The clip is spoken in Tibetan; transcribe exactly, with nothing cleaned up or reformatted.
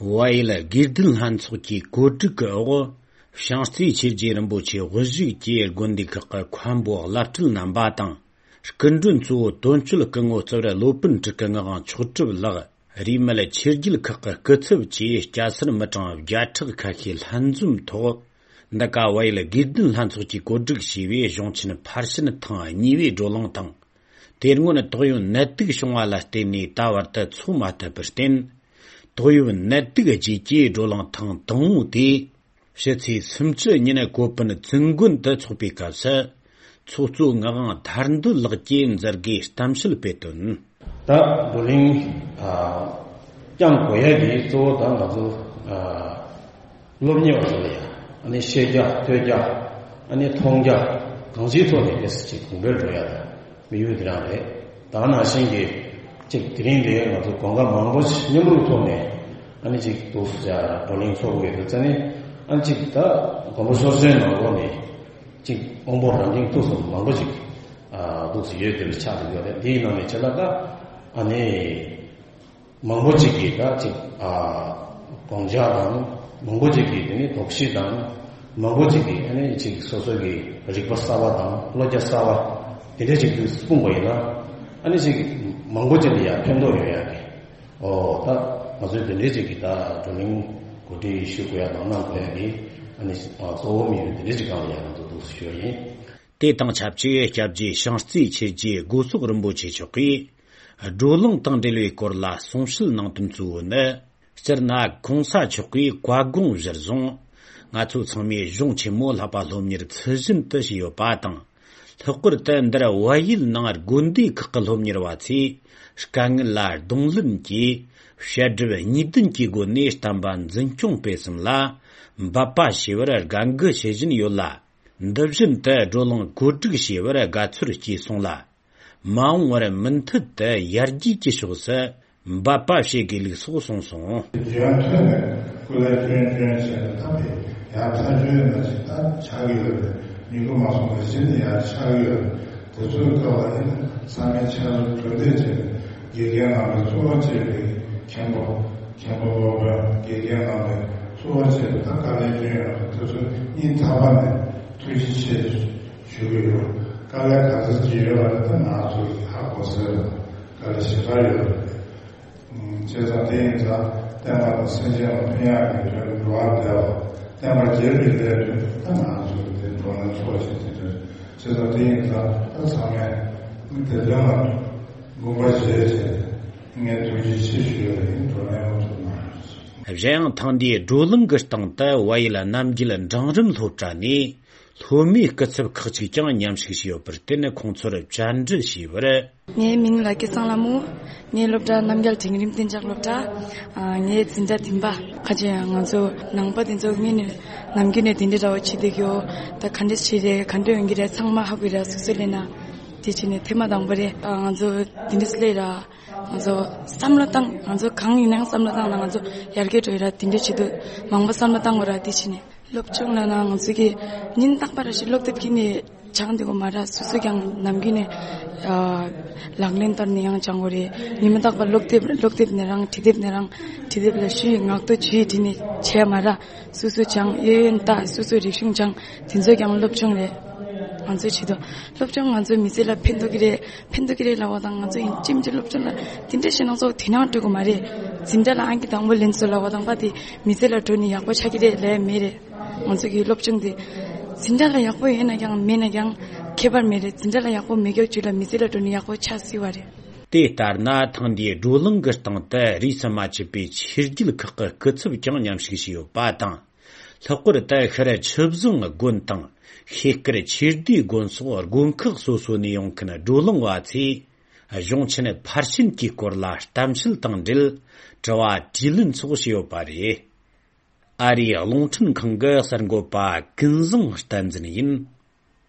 བལ་ཡུལ་དགེ་ལྡན་ལྷན་ཚོགས་ཀྱི་བཀོད་སྒྲིག་གི་འོག་བྱང་རྩེ་ཆོས་རྗེ་རིན་པོ་ཆེ་དབུ་བཞུགས་ཀྱིས་དགོན་སྡེ་ཁག་གི་མཁན་པོ་བླ་སྤྲུལ་རྣམ་པ་དང་། སྐུ་མགྲོན་གཙོ་བོ་དོན་གཅོད་སྐུ་ངོ་རྩིབ་ར་སློབ་དཔོན་དྲུག་གི་ངག་དབང་མཆོག་གྲུབ་ལགས། རིས་མེད་ཆོས་བརྒྱུད་ཁག་གི་སྐུ་ཚབ་བཅས་སྐྱ་སེར་མི་གྲངས་བརྒྱ་ཕྲག་ཁ་ཤས་ལྷན་འཛོམས་ཐོག་འདི་ག་བལ་ཡུལ་དགེ་ལྡན་ལྷན་ཚོགས་ཀྱིས་བཀོད་སྒྲིག་བྱས་པའི་གཞུང་ཆེན་ཕར་ཕྱིན་ཐེངས་གཉིས་པའི་བགྲོ་གླེང་དང་། དེ་སྔོན་ཏོག་དབྱིབས་ནད་དུག་བྱུང་བ་ལ་བརྟེན་ནས་ད་བར་དུ་འཚོགས་མ་ཐུབ་པར་བརྟེན། ཏོག་དབྱིབས་ནད་དུག་རྗེས་ཀྱི་བགྲོ་གླེང་ཐེངས་དང་པོ་དེ། ཕྱི་ཚེས་སུམ་ཅུ་ཉིན་གོ་པིན་ཙུན་དགོན་དུ་འཚོགས་པའི་སྐབས་སུ། ཚོགས་གཙོ་ངག་དབང་ཐར་འདོད་ལགས་ཀྱིས་མཛད་སྒོའི་གཏམ་བཤད་སྤེལ་དོན། ད་བགྲོ་གླེང་ཨ་བསྐྱངས་དགོས་ཡ་དེ་གཙོ་བོ་ད་ང་ཚོ་ཨ་སློབ་གཉེར་བ་ཚོ་ལ་ཡ་ཨ་ནི་ཤེས་རྒྱ་ཐོས་རྒྱ་ཨ་ནི་མཐོང་རྒྱ་གང་ཅིའི་ཐོག་ནས་དེ་ཅིག་གོང་འཕེལ་འགྲོ་ཡ་དང་། དམིགས་ཡུལ་དེ་རང་རེད། ད་ནང་བཞིན་གྱི་ཅིག་དེ་རིང་འདིར་ང་ཚོ་གོ་སྐབས་མང་པོ་ཞིག་མཉམ་རུབ་ཐོག་ནས་ཨ་ནི་ཅིག་འདུག་སེ་བགྲོ་གླེང་ཚོགས་དགོས་འདུག་ཙང་ནས་ཨ་ནི་ཅིག་ད་མགོན་པོ་ཆོས་རྗེ་ནང་ལོགས་ནས་ཅིག་དབང་པོ་རབ་འབྲིང་ཐུགས་གསུམ་མང་པོ་ཞིག་ཨ་འདུག་སེ་ཡོད་དེ་ཆགས་བསྡད་ཡོད་རེད། དེའི་ནང་ནས་ཆ་ལ་ད་ཨ་ནི། མང་པོ་ཅིག་གིས་ད་ཅིག་ཨ་དགོངས་འཆར་དང་མང་པོ་ཅིག་གིས་དེ་ནི་དོགས་གཞི་དང་མང་པོ་ཅིག་གིས་ཨ་ནི་ཅིག་སོ་སོ་གི་རིག་པ་གསར་བ་དང་བློ་རྒྱ་གསར་བ་དེ་འདྲ་ཅིག་ཏུ་སྤུངས་པ་ཡིན་ན་ཨ་ནི་ཅིག་མང་པོ་ཅིག་ལ་ཡང་ཕན་ཐོགས་ཡོང་ཡག་གི་ཨོ་ད་ང་ཚོས་དེ་འདྲ་ཅིག་གི་ད་བགྲོ་གླེང་གོ་སྒྲིག་ཞུ་དགོས་ཡག་དང་གནང་དགོས་ཡག་གི་ཨ་ནི་གཙོ་བོ་དམིགས་ཡུལ་དེ་འདྲ་ཅིག་སྒང་ལ་ཡང་ང་ཚོ་འདུག་སེ་ཞུ་ཡ་ཡིན། དེ་དང་ཆབས་ཅིག་སྐྱབས་རྗེ་བྱང་རྩེའི་ཆོས་རྗེ་སྒོ་སོག་རིན་པོ་ཆེ་མཆོག་གིས་བགྲོ་གླེང་དང་འབྲེལ་བའི་སྐོར་ལ་གསུང་བཤད་གནང་དོན་གཙོ་བོ་ནི། སྤྱིར་ན་གོང་ས་མཆོག་གིས་བཀའ་དགོངས་གཞིར་བཟུང་ང་ཚོ་ཚང་མས་གཞུང་ཆེན་མོ་བསླབ་པ་སློབ་གཉེར་ཚུལ་བཞིན་དུ་བྱས་ཡོད་པ་དང་། ལྷག་པར་དུ་འདིར་བལ་ཡུལ་ནང་དགོན་སྡེ་ཁག་གི་སློབ་གཉེར་བ་ཚོས་དཀའ་ངལ་ལ་གདོང་ལེན་གྱིས་བཤད་སྒྲུབ་གཉིས་ལྡན་གྱི་སྒོ་ནས་བསྟན་པ་འཛིན་སྐྱོང་སྤེལ་གསུམ་ལ་འབད་པ་བྱས་པར་དགའ་མགུ་བྱེད་བཞིན་ཡོད་ལ། འདི་བཞིན་དུ་བགྲོ་གླེང་གོ་སྒྲིག་བྱས་པར་དགའ་ཚོར་སྐྱེས་སོང་ལ། མ་འོངས་པར་མུ་མཐུད་དུ་ཡར་རྒྱས་ཀྱི་ཕྱོགས་སུ་འབད་པ་བྱེད་དགོས་ལུགས་སོགས་གསུངས་སོང་། རྒྱུན་མཐུད་ནས་སྐུ་ལས་སྐྱོན་སྐྱོན་བྱས་ནས་ད་དེ་ཡར་ཐག་ཆོད་ན་ཅིག་ད་ཆགས་ཀྱི་ཡོད་རེད། མི་དགོས་མ་སོང་བ་གཞི་ནས་ཡར་ཆགས་ཀྱི་ཡོད་རེད། དེ་ཚོའི་སྐབས་ལ་ཡིན་ན་ཚང་མས་ཕྱག་རོགས་གྲོས་འདེབས་བྱས་ནས་དགེ་རྒན་རྣམ་པས་གཙོ་བོ་བྱས་པའི་མཁན་པོ་མཁན་པོ་སློབ་དཔོན་དགེ་རྒན་རྣམ་པས་གཙོ་བོ་བྱས་པའི་ད་དཀའ་ལས་སྐྱོན་ཡོད་རེད། དེ་ཚོ་སྙིང་ཐག་པ་ནས་ཐུགས་རྗེ་ཆེ་ཞུ་གི་ཡོད། དཀའ་ལས་ག་ཚོད་ཅིག་ཡོད་པ་རེད། ད་ང་ཚོ་ཧ་གོ་སོང་རེད། དཀའ་ལས་ཞེ་དྲག་ཡོད་རེད། བྱས་ཙང་དེ་ཡིན་ཙང་བསྟན་པ་དང་སེམས་ཅན་ལ་ཕན་ཡག་གི་དོན་འགྲོ་བ་བདེ་བ་བསྟན་པ་རྒྱས་པའི་ལས་དོན་ད་ང་ཚོ་དེ་འགྲོ་ན་ཚོགས་ཞིག་དེ་དོན་བྱས་ཙང་དེ་ཡིན་ཙང་ད་ཚང་མས་དེ་དོན་ལ་དགོངས་པ་བཞེས་བྱས་ངས་ཐུགས་རྗེ་ཆེ་ཞུ་ཡ་ཡིན། འགྲོ་ན་ཡོང་ཐུབ་ན། གཞན་ཡང་ཐེངས་འདིའི་བགྲོ་གླེང་གི་སྟེང་དུ་བལ་ཡུལ་རྣམ་རྒྱལ་འབྲིང་རིམ་སློབ་གྲྭ་ནས་སློབ་མའི་སྐུ་ཚབ་ཁག་ཅིག་ཀྱང་མཉམ་ཞུགས་བྱས་ཡོད་པར་བརྟེན་ཁོང་ཚོར་བཅར་འདྲི་བྱས་པར། ངའི་མིང་ལ་སྐལ་བཟང་ལྷ་མོ། ངའི་སློབ་གྲྭ་རྣམ་རྒྱལ་འབྲིང་རིམ་གཏན་འཇགས་སློབ་གྲྭ། ཨ་ངའི་འཛིན་གྲྭ་བདུན་པ། ཁ་ཅིག་ང་ཚོ་ནང་པ་དེ་ཚོ་སྔོན་ནས་ནམ་རྒྱུན་ནས་དེ་འདྲའི་འདྲ་བོ་བྱེད་བསྡད་ཀྱི་ཡོད། ད་ག་འདྲས་བྱེད་རེད། ག་འདྲས་ཡོང་གི་རེད། ཚང་མ་ཧ་གོ་ར། སོ་སོ་ལས་ན་དེ་བྱས་ནས་ཐེངས་མ་དང་པོ་རེད། ཨ་ང་ཚོ་དེ་འདྲས་སླེབས་ར། ང་ཚོ་བསམ་བློ་བཏང་། ང་ཚོ་གང་ཡིན་ནའང་བསམ་བློ་བཏང་ན་ང་ཚོ་ཡར་རྒྱས་འགྲོ་ཡ་ར་དེ་འདྲ་བྱེད་དུས་མང་པོ་བསམ་བློ་བཏང་དགོས་ར། དེ་བྱས་ནས་སློབ་སྦྱོང་ལབ་ན་ང་ཚོ་གི་ཉིན་རྟག་པར་ར་ཞིག་སློབ་དེབ་ཀྱི་ནས་སྦྱང་བསྡད་དགོས་མ་ར། སོ་སོ་ཀྱང་ནམ་རྒྱུན་ནས་ཨ་ལག་ལེན་བསྟར་ནས་ཡང་སྦྱང་དགོས་རེད། ཉི་མ་རྟག་པར་སློབ་དེབ་སློབ་དེབ་ནས་རང་བྲིས་དེབ་ནས་རང་བྲིས་དེབ་ལ་ཞུས་ངག་ཐོག་ཇུས་བྲིས་ནས་བྱས་མ་ར། སོ་སོ་སྦྱང་། ཡོན་ཡོན་ལྟ། སོ་སོ་རིག་གཞུང་སྦྱང་། དེ་ཚོ་ཀྱང་སློབ་སྦྱོང་རེད། ང་ཚོའི་ཆེད་དུ་སློབ་སྦྱོང་ང་ཚོའི་མི་ཚེ་ལ་ཕན་ཐོགས་ཀྱི་རེད། ཕན་ཐོགས་ཀྱི་རེད་ལབ་པ་དང་། ང་ཚོ་ཡིན་གཅིག་མིན་གཅིག་སློབ་སྦྱོང་ལ་དེ་འདྲ་བྱས་ན་ཚོ་དེ་ནང་འགྲོ་གི་མ་རེད། འཛིན་གྲྭ་ལ་ཨང་ཀི་དང་པོ་ལེན་སོང་ལབ་པ་དང་པ་དེ་མི་ཚེ་ལ་འགྲོ་ནས་ཡག་པོ་ཆགས་ཀྱི་རེད་ལབ་མེད་རེད། ང་ཚོ་གི་སློབ་སྦྱོང་དེ་འཛིན་གྲྭ་ལ་ཡག་པོ་ཡོད་ན་ཀྱང་མེད་ན་ཀྱང་ཁྱད་པར་མེད་རེད། འཛིན་གྲྭ་ལ་ཡག་པོ་མེད་སྐབས་ཅིག་ལ་མི་ཚེ་ལ་འགྲོ་ནས་ཡག་པོ་ཆགས་སྲིད་པ་རེད། དེ་ལྟར་ན་ཐེངས་འདིའི་བགྲོ་གླེང་གི་སྟེང་དུ་རིས་སུ་མ་ཆད་པའི་ཆོས་བརྒྱུད་ཁག་གི་སྐུ་ཚབ་ཀྱང་མཉམ་ཞུགས་བྱས་ཡོད་པ་དང་། ལྷག་པར་དུ་ཤར་ཆུ་བཟང་དགོན་དང་ཤེལ་དཀར་ཆོས་སྡེ་དགོན་སོགས་དགོན་ཁག་སོ་སོ་ནས་ཡོང་མཁན་བགྲོ་གླེང་བ་ཚོས་གཞུང་ཆེན་ཕར་ཕྱིན་གྱི་སྐོར་ལ་གཏམ་བཤད་དང་འབྲེལ་དྲི་བ་དྲིས་ལན་སོགས་བྱས་ཡོད་པ་རེད། ཨ་རིའི་རླུང་འཕྲིན་ཁང་གི་གསར་འགོད་པ་ཀུན་བཟང་བསྟན་འཛིན་ཡིན།